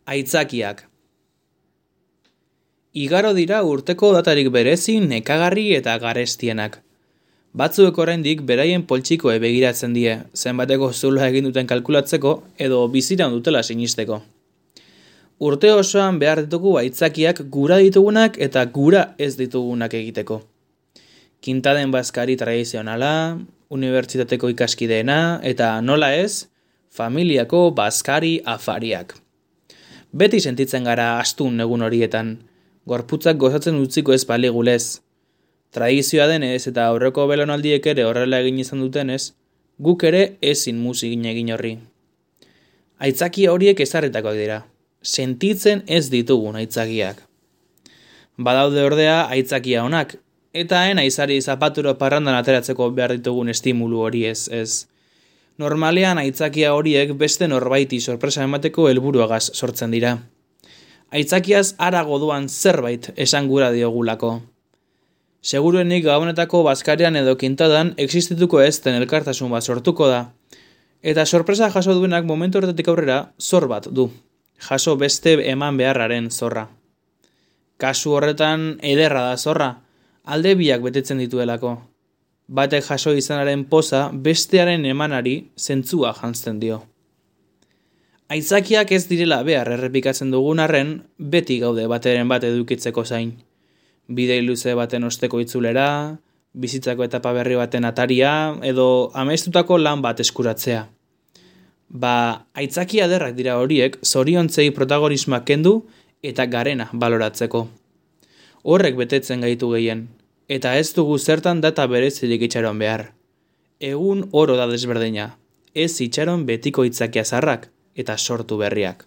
Aitzakiak. Igaro dira urteko datarik berezi, nekagarri eta garestienak. Batzuek oraindik beraien poltsikoe begiratzen die, zenbateko zuloa egin duten kalkulatzeko edo biziran dutela sinisteko. Urte osoan behar ditugu aitzakiak gura ditugunak eta gura ez ditugunak egiteko. Kintaden bazkari tradizionala, unibertsitateko ikaskideena eta nola ez, familiako bazkari afariak. Beti sentitzen gara astun egun horietan, gorputzak gozatzen utziko ez baligulez. Tradizioa denez eta aurreko belaunaldiek ere horrela egin izan dutenez, guk ere ezin muzin egin horri. Aitzakia horiek ezarritakoak dira, sentitzen ez ditugun aitzakiak. Badaude ordea aitzakia onak, eta aizari zapaturo parrandan ateratzeko behar ditugun estimulu hori ez. Normalean aitzakia horiek beste norbaiti sorpresa emateko helburuagaz sortzen dira. Aitzakiaz harago doan zerbait esan gura diogulako. Seguruenik gabonetako bazkarian edo kintadan existituko ez den elkartasun bat sortuko da. Eta sorpresa jaso duenak momentu horretatik aurrera zor bat du. Jaso beste eman beharraren zorra. Kasu horretan ederra da zorra, alde biak betetzen dituelako. Batek jaso izanaren poza bestearen emanari zentzua jantzten dio. Aitzakiak ez direla behar errepikatzen dugun arren, beti gaude bateren bat edukitzeko zain. Bidei luze baten osteko itzulera, bizitzako etapa berri baten ataria, edo amestutako lan bat eskuratzea. Aitzakia ederrak dira horiek zoriontzei protagonismoak kendu eta garena baloratzeko. Horrek betetzen gaitu gehien, eta ez dugu zertan data berezirik itxaron behar. Egun oro da desberdina, ez itxaron betiko aitzakia zarrak eta sortu berriak.